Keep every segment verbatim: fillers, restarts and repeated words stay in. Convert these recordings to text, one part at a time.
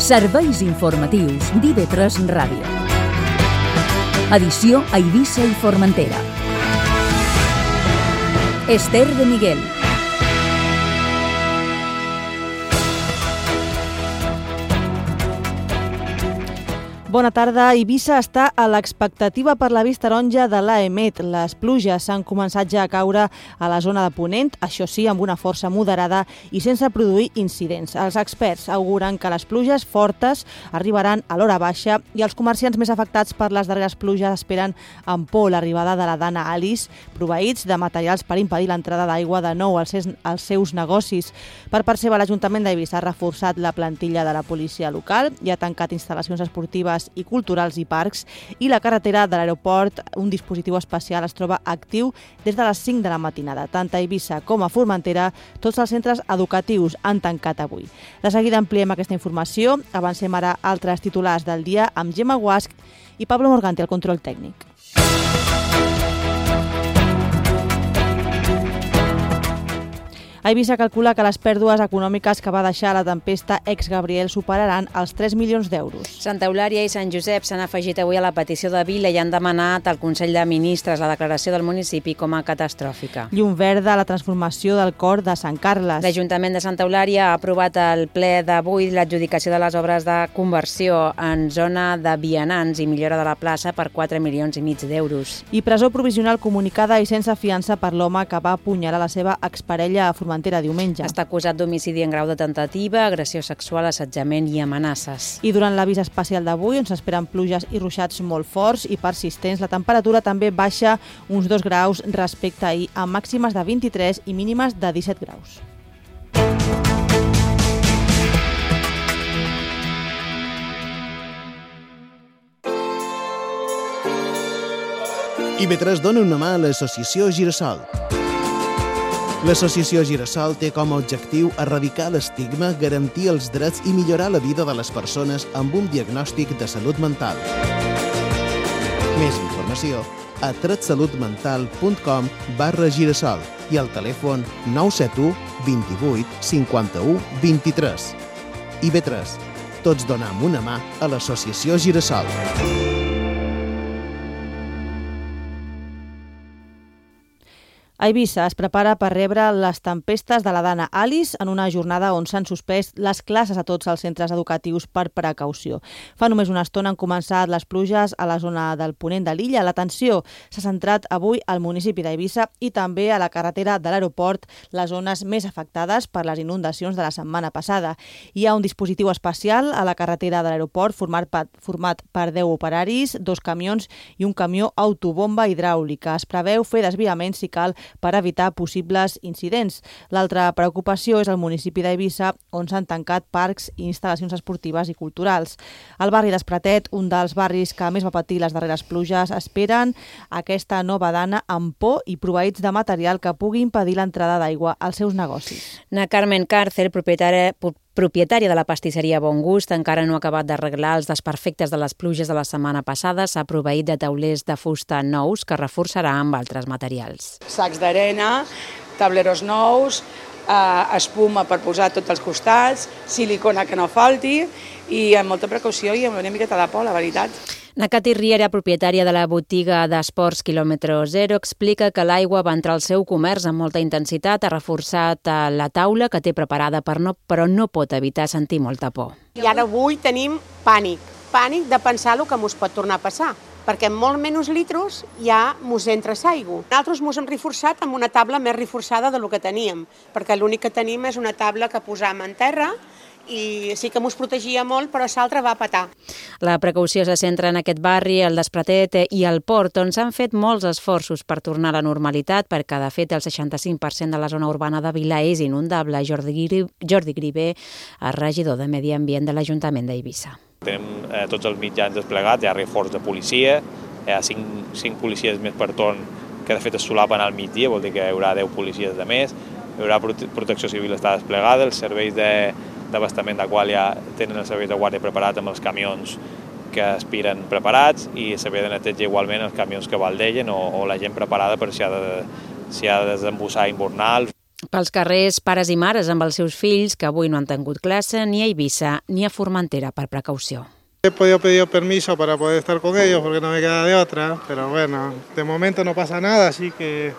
Serveis informatius d'I V tres Ràdio. Edició a Eivissa i Formentera. Esther de Miguel. Bona tarda. Eivissa està a l'expectativa per l'avís taronja de l'A E M E T. Les pluges s'han començat ja a caure a la zona de Ponent, això sí, amb una força moderada i sense produir incidents. Els experts auguren que les pluges fortes arribaran a l'hora baixa i els comerciants més afectats per les darreres pluges esperen amb por l'arribada de la Dana Alice, proveïts de materials per impedir l'entrada d'aigua de nou als seus, als seus negocis. Per part seva, l'Ajuntament d'Eivissa ha reforçat la plantilla de la policia local i ha tancat instal·lacions esportives i culturals i parcs, i la carretera de l'aeroport, un dispositiu especial, es troba actiu des de les cinc de la matinada. Tant a Eivissa com a Formentera, tots els centres educatius han tancat avui. De seguida ampliem aquesta informació. Avancem ara altres titulars del dia amb Gemma Guasch i Pablo Morganti al control tècnic. Eivissa calcula que les pèrdues econòmiques que va deixar la tempesta ex-Gabriel superaran els tres milions d'euros. Santa Eulària i Sant Josep s'han afegit avui a la petició de Vila i han demanat al Consell de Ministres la declaració del municipi com a catastròfica. Llum verda a la transformació del cor de Sant Carles. L'Ajuntament de Santa Eulària ha aprovat al ple d'avui l'adjudicació de les obres de conversió en zona de vianants i millora de la plaça per quatre milions i mig d'euros. I presó provisional comunicada i sense fiança per l'home que va apunyalar la seva exparella a Formentera diumenge. Està acusat d'homicidi en grau de tentativa, agressió sexual, assetjament i amenaces. I durant l'avís especial d'avui, on s'esperen pluges i ruixats molt forts i persistents, la temperatura també baixa uns dos graus respecte a ahir, amb màximes de vint-i-tres i mínimes de disset graus. I V tres dona una mà a l'associació Girassol. L'associació Girassol té com a objectiu erradicar l'estigma, garantir els drets i millorar la vida de les persones amb un diagnòstic de salut mental. Més informació a tretsalutmental.com barra Girassol i al telèfon nou set u vint-i-vuit cinquanta-u vint-i-tres. I V tres. Tots donem una mà a l'associació Girassol. Eivissa es prepara per rebre les tempestes de la Dana Alice en una jornada on s'han suspès les classes a tots els centres educatius per precaució. Fa només una estona han començat les pluges a la zona del ponent de l'illa. L'atenció s'ha centrat avui al municipi d'Eivissa i també a la carretera de l'aeroport, les zones més afectades per les inundacions de la setmana passada. Hi ha un dispositiu especial a la carretera de l'aeroport format per, format per deu operaris, dos camions i un camió autobomba hidràulica. Es preveu fer desviaments si cal per evitar possibles incidents. L'altra preocupació és el municipi d'Eivissa, on s'han tancat parcs i instal·lacions esportives i culturals. El barri d'Espratet, un dels barris que més va patir les darreres pluges, esperen aquesta nova dana amb por i proveïts de material que pugui impedir l'entrada d'aigua als seus negocis. Na Carmen Càrcer, propietària propietària de la pastisseria Bon Gust, encara no ha acabat d'arreglar els desperfectes de les pluges de la setmana passada. S'ha proveït de taulers de fusta nous que reforçarà amb altres materials. Sacs d'arena, tableros nous, eh, espuma per posar a tots els costats, silicona que no falti i amb molta precaució i amb una miqueta de por, la veritat. Na Cati Riera, propietària de la botiga d'esports quilòmetre zero, explica que l'aigua va entrar al seu comerç amb molta intensitat, ha reforçat la taula que té preparada per no, però no pot evitar sentir molta por. I ara avui tenim pànic, pànic de pensar el que mos pot tornar a passar, perquè amb molt menys litros ja mos entra l'aigua. Nosaltres mos hem reforçat amb una taula més reforçada del que teníem, perquè l'únic que tenim és una taula que posam en terra i sí que mos protegia molt, però l'altra va petar. La precaució se centra en aquest barri, el d'Espratet i el Port, on s'han fet molts esforços per tornar a la normalitat, perquè de fet el seixanta-cinc per cent de la zona urbana de Vila és inundable. Jordi, Jordi Grivé, el regidor de Medi Ambient de l'Ajuntament d'Eivissa. Tenim eh, tots els mitjans desplegats, hi ha reforç de policia, hi ha cinc, cinc policies més per torn que de fet es solapen al migdia, vol dir que hi haurà deu policies de més, hi haurà prote protecció civil està desplegada, els serveis de d'abastament de qual ja tenen els serveis de guàrdia preparat amb els camions que aspiren preparats i el servei de neteja igualment els camions que baldegen o, o la gent preparada per si ha de, si ha de desembussar invernal. Pels carrers, pares i mares amb els seus fills que avui no han tingut classe ni a Eivissa ni a Formentera per precaució. He podido pedir permiso para poder estar con ellos porque no me queda de otra, pero bueno, de momento no pasa nada, así que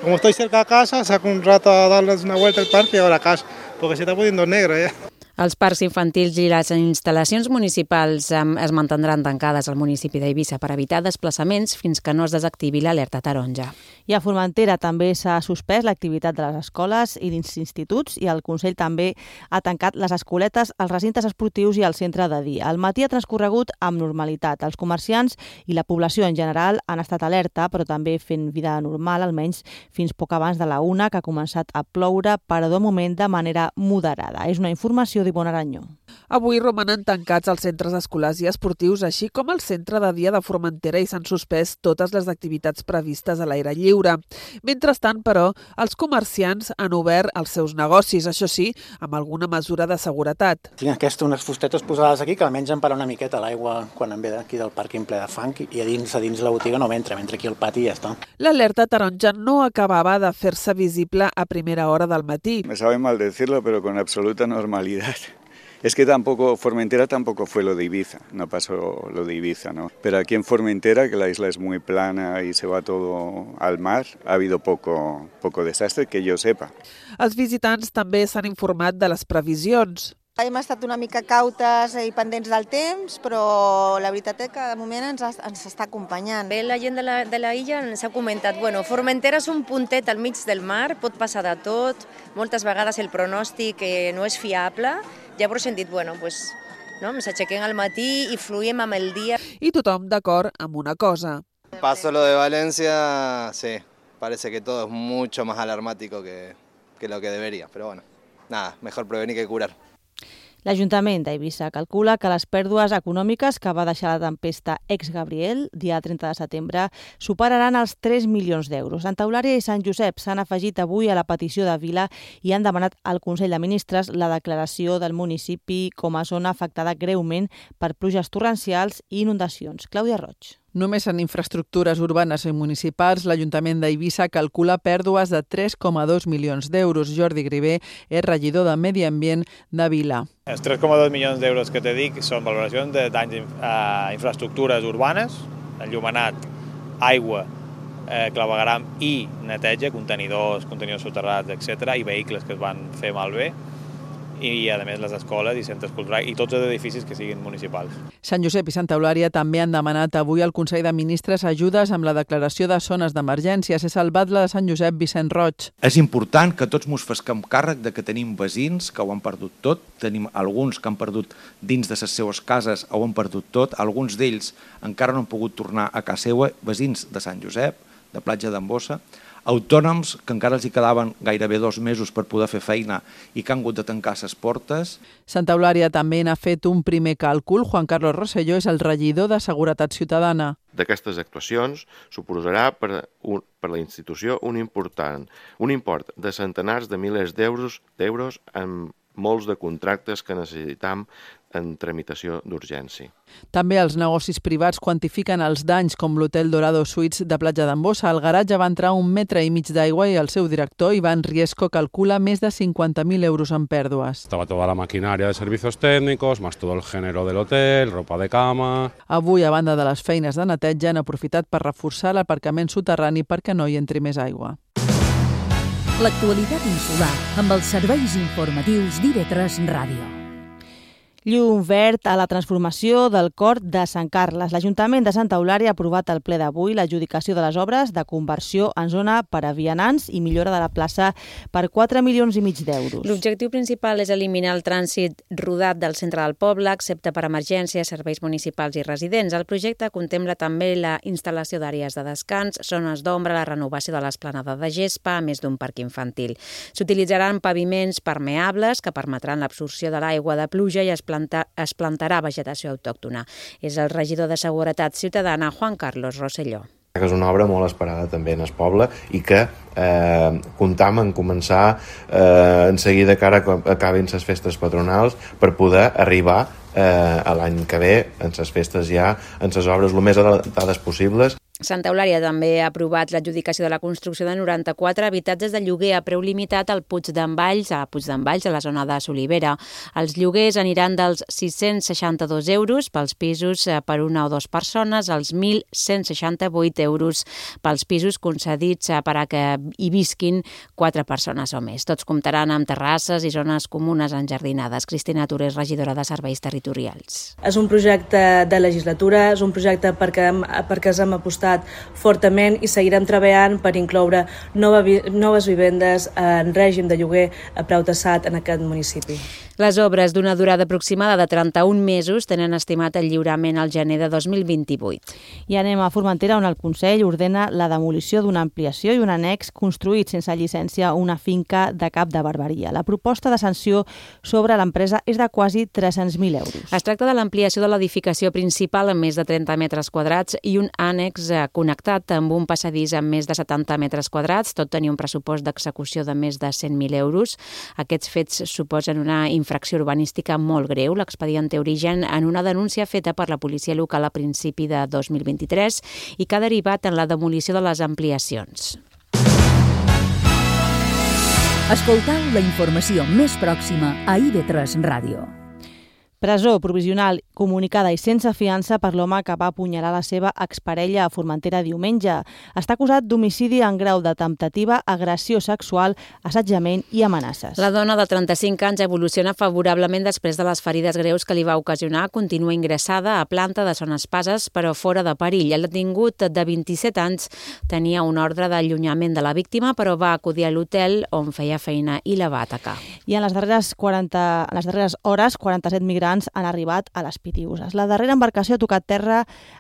como estoy cerca de casa, saco un rato a darles una vuelta al parque y ahora a casa, porque se está poniendo negro ya. Els parcs infantils i les instal·lacions municipals es mantindran tancades al municipi d'Eivissa per evitar desplaçaments fins que no es desactivi l'alerta taronja. I a Formentera també s'ha suspès l'activitat de les escoles i dels instituts i el Consell també ha tancat les escoletes, els recintes esportius i el centre de dia. El matí ha transcorregut amb normalitat. Els comerciants i la població en general han estat alerta, però també fent vida normal, almenys fins poc abans de la una, que ha començat a ploure, però de moment de manera moderada. És una informació d'Ivonne Aranyó. Avui romanen tancats els centres escolars i esportius, així com el centre de dia de Formentera, i s'han suspès totes les activitats previstes a l'aire lliure. Mentrestant, però, els comerciants han obert els seus negocis, això sí, amb alguna mesura de seguretat. Tinc aquestes unes fustetes posades aquí que almenys em para una miqueta l'aigua quan em ve d'aquí del pàrquing ple de fang i a dins, a dins la botiga no m'entra, m'entra aquí al pati i ja està. L'alerta taronja no acabava de fer-se visible a primera hora del matí. Me sabe mal decirlo, pero con absoluta normalidad. Es que tampoco, Formentera tampoco fue lo de Ibiza, no pasó lo de Ibiza, ¿no? Pero aquí en Formentera, que la isla es muy plana y se va todo al mar, ha habido poco, poco desastre, que jo sepa. Els visitants també s'han informat de les previsions. Hem estat una mica cautes i pendents del temps, però la veritat és que de moment ens, ens està acompanyant. Bé, la gent de la, de la illa ens ha comentat, bueno, Formentera és un puntet al mig del mar, pot passar de tot, moltes vegades el pronòstic eh, no és fiable, llavors hem dit, bueno, pues, no, ens aixequem al matí i fluïm amb el dia. I tothom d'acord amb una cosa. Paso lo de Valencia, sí, parece que todo es mucho más alarmático que, que lo que debería, pero bueno, nada, mejor prevenir que curar. L'Ajuntament d'Eivissa calcula que les pèrdues econòmiques que va deixar la tempesta ex-Gabriel, dia trenta de setembre, superaran els tres milions d'euros. Santa Eulària i Sant Josep s'han afegit avui a la petició de Vila i han demanat al Consell de Ministres la declaració del municipi com a zona afectada greument per pluges torrencials i inundacions. Clàudia Roig. Només en infraestructures urbanes i municipals, l'Ajuntament d'Eivissa calcula pèrdues de tres coma dos milions d'euros. Jordi Grivé és regidor de Medi Ambient de Vila. Els tres coma dos milions d'euros que te dic són valoracions de danys a infraestructures urbanes, enllumenat, aigua, eh, clavegueram i neteja, contenidors, contenidors soterrats, etcètera, i vehicles que es van fer malbé, i a més les escoles i centres culturals i tots els edificis que siguin municipals. Sant Josep i Santa Eulària també han demanat avui al Consell de Ministres ajudes amb la declaració de zones d'emergència. S'ha salvat la de Sant Josep, Vicent Roig. És important que tots mos fesquem càrrec de que tenim veïns que ho han perdut tot, tenim alguns que han perdut dins de les seues cases ho han perdut tot, alguns d'ells encara no han pogut tornar a casa seva, veïns de Sant Josep, de Platja d'Embossa, autònoms que encara els hi quedaven gairebé dos mesos per poder fer feina i que han hagut de tancar les portes. Santa Eulària també n'ha fet un primer càlcul. Juan Carlos Rosselló és el regidor de Seguretat Ciutadana. D'aquestes actuacions suposarà per, un, per la institució un important, un import de centenars de milers d'euros d'euros en molts de contractes que necessitam en tramitació d'urgència. També els negocis privats quantifiquen els danys, com l'Hotel Dorado Suites de Platja d'Embossa. Al garatge va entrar un metre i mig d'aigua i el seu director, Iván Riesco, calcula més de cinquanta mil euros en pèrdues. Estaba toda la maquinaria de servicios técnicos, más todo el género del hotel, ropa de cama... Avui, a banda de les feines de neteja, han aprofitat per reforçar l'aparcament soterrani perquè no hi entri més aigua. L'actualitat insular amb els serveis informatius d'I V tres Ràdio. Llum verd a la transformació del Cor de Sant Carles. L'Ajuntament de Santa Eulària ha aprovat al ple d'avui l'adjudicació de les obres de conversió en zona per a vianants i millora de la plaça per quatre milions i mig d'euros. L'objectiu principal és eliminar el trànsit rodat del centre del poble, excepte per emergències, serveis municipals i residents. El projecte contempla també la instal·lació d'àrees de descans, zones d'ombra, la renovació de l'esplanada de gespa, a més d'un parc infantil. S'utilitzaran paviments permeables que permetran l'absorció de l'aigua de pluja i es es plantarà vegetació autòctona. És el regidor de Seguretat Ciutadana, Juan Carlos Rosselló. És una obra molt esperada també en el poble i que eh, comptam en començar eh, en seguida que ara acabin les festes patronals per poder arribar eh, a l'any que ve en les festes ja, en les obres el més adelantades possibles. Santa Eulària també ha aprovat l'adjudicació de la construcció de noranta-quatre habitatges de lloguer a preu limitat al Puig d'en Valls, a Puig d'en Valls, a la zona de Solivera. Els lloguers aniran dels sis-cents seixanta-dos euros pels pisos per una o dues persones als mil cent seixanta-vuit euros pels pisos concedits per a que hi visquin quatre persones o més. Tots comptaran amb terrasses i zones comunes enjardinades. Cristina Torres, regidora de Serveis Territorials. És un projecte de legislatura, és un projecte perquè, perquè ens hem apostat fortament i seguirem treballant per incloure nova, noves vivendes en règim de lloguer a preu tassat en aquest municipi. Les obres d'una durada aproximada de trenta-un mesos tenen estimat el lliurament al gener de dos mil vint-i-vuit. I anem a Formentera, on el Consell ordena la demolició d'una ampliació i un annex construït sense llicència a una finca de Cap de Barberia. La proposta de sanció sobre l'empresa és de quasi tres-cents mil euros. Es tracta de l'ampliació de l'edificació principal amb més de trenta metres quadrats i un ànex connectat amb un passadís amb més de setanta metres quadrats. Tot tenia un pressupost d'execució de més de cent mil euros. Aquests fets suposen una infracció urbanística molt greu. L'expedient té origen en una denúncia feta per la policia local a principi de dos mil vint-i-tres i que ha derivat en la demolició de les ampliacions. Escoltau la informació més pròxima a I V tres Ràdio. Presó provisional comunicada i sense fiança per l'home que va apunyalar la seva exparella a Formentera diumenge. Està acusat d'homicidi en grau de temptativa, agressió sexual, assetjament i amenaces. La dona de trenta-cinc anys evoluciona favorablement després de les ferides greus que li va ocasionar. Continua ingressada a planta de Son Espases, però fora de perill. El detingut de vint-i-set anys tenia un ordre d'allunyament de la víctima, però va acudir a l'hotel on feia feina i la va atacar. I en les darreres, quaranta, en les darreres hores, quaranta-set migrants han arribat a les Pitiüses. La darrera embarcació ha tocat terra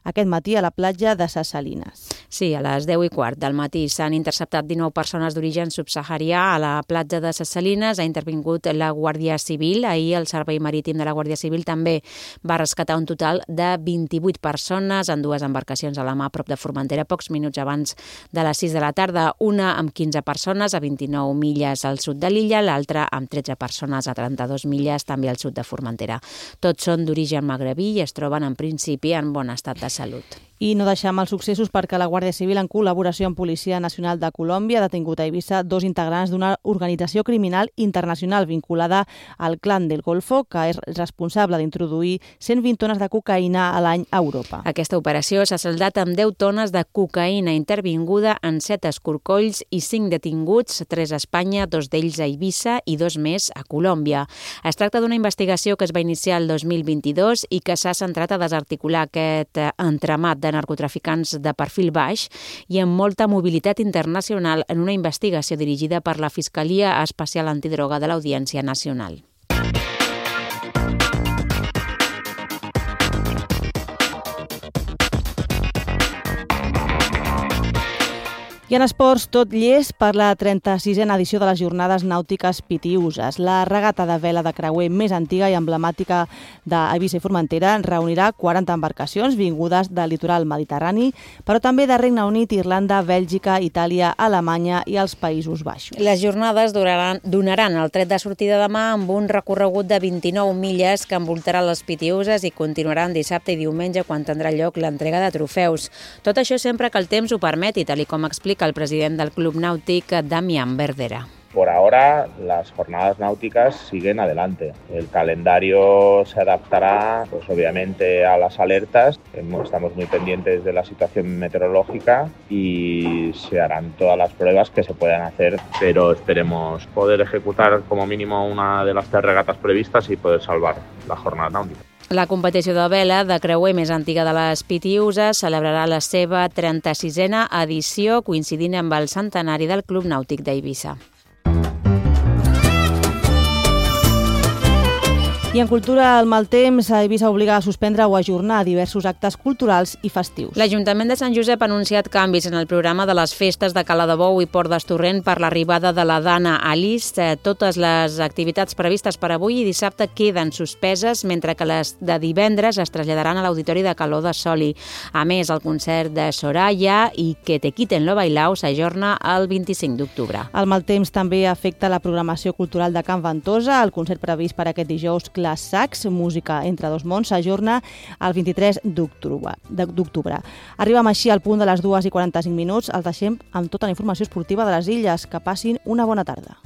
aquest matí a la platja de Ses Salines. Sí, a les deu i quart del matí s'han interceptat dinou persones d'origen subsaharià a la platja de Ses Salines. Ha intervingut la Guàrdia Civil. Ahir el Servei Marítim de la Guàrdia Civil també va rescatar un total de vint-i-vuit persones en dues embarcacions a la mà a prop de Formentera, pocs minuts abans de les sis de la tarda. Una amb quinze persones a vint-i-nou milles al sud de l'illa, l'altra amb tretze persones a trenta-dos milles també al sud de Formentera. Tots són d'origen magrebí i es troben en principi en bon estat de salut. I no deixem els successos perquè la Guàrdia Civil, en col·laboració amb Policia Nacional de Colòmbia, ha detingut a Eivissa dos integrants d'una organització criminal internacional vinculada al Clan del Golfo, que és responsable d'introduir cent vint tones de cocaïna a l'any a Europa. Aquesta operació s'ha saldat amb deu tones de cocaïna intervinguda en set escorcolls i cinc detinguts, tres a Espanya, dos d'ells a Eivissa i dos més a Colòmbia. Es tracta d'una investigació que es va iniciar el dos mil vint-i-dos i que s'ha centrat a desarticular aquest entramat de de narcotraficants de perfil baix i amb molta mobilitat internacional en una investigació dirigida per la Fiscalia Especial Antidroga de l'Audiència Nacional. I en esports, tot llest per la trenta-sisena edició de les Jornades Nàutiques Pitiüses. La regata de vela de creuer més antiga i emblemàtica d'Eivissa i Formentera reunirà quaranta embarcacions vingudes del litoral mediterrani, però també de Regne Unit, Irlanda, Bèlgica, Itàlia, Alemanya i els Països Baixos. Les jornades donaran, donaran el tret de sortida demà amb un recorregut de vint-i-nou milles que envoltarà les Pitiüses i continuaran dissabte i diumenge quan tindrà lloc l'entrega de trofeus. Tot això sempre que el temps ho permeti, tal com explica el president del Club Náutic, Damián Verdera. Por ahora, las jornadas náuticas siguen adelante. El calendario se adaptará, pues obviamente, a las alertas. Estamos muy pendientes de la situación meteorológica y se harán todas las pruebas que se puedan hacer, pero esperemos poder ejecutar como mínimo una de las tres regatas previstas y poder salvar la jornada náutica. La competició de vela de creuer més antiga de les Pitiüses celebrarà la seva trenta-sisena edició, coincidint amb el centenari del Club Nàutic d'Eivissa. I en cultura, el mal temps a Eivissa obliga a suspendre o ajornar diversos actes culturals i festius. L'Ajuntament de Sant Josep ha anunciat canvis en el programa de les festes de Cala de Bou i Port d'Estorrent per l'arribada de la Dana a l'Ist. Totes les activitats previstes per avui i dissabte queden suspeses, mentre que les de divendres es traslladaran a l'Auditori de Caló de Soli. A més, el concert de Soraya i Que te quiten lo bailao s'ajorna el vint-i-cinc d'octubre. El mal temps també afecta la programació cultural de Can Ventosa. El concert previst per aquest dijous, Les Sacs, música entre dos mons, s'ajorna el vint-i-tres d'octubre. Arribem així al punt de les dues i quaranta-cinc minuts. Els deixem amb tota la informació esportiva de les Illes. Que passin una bona tarda.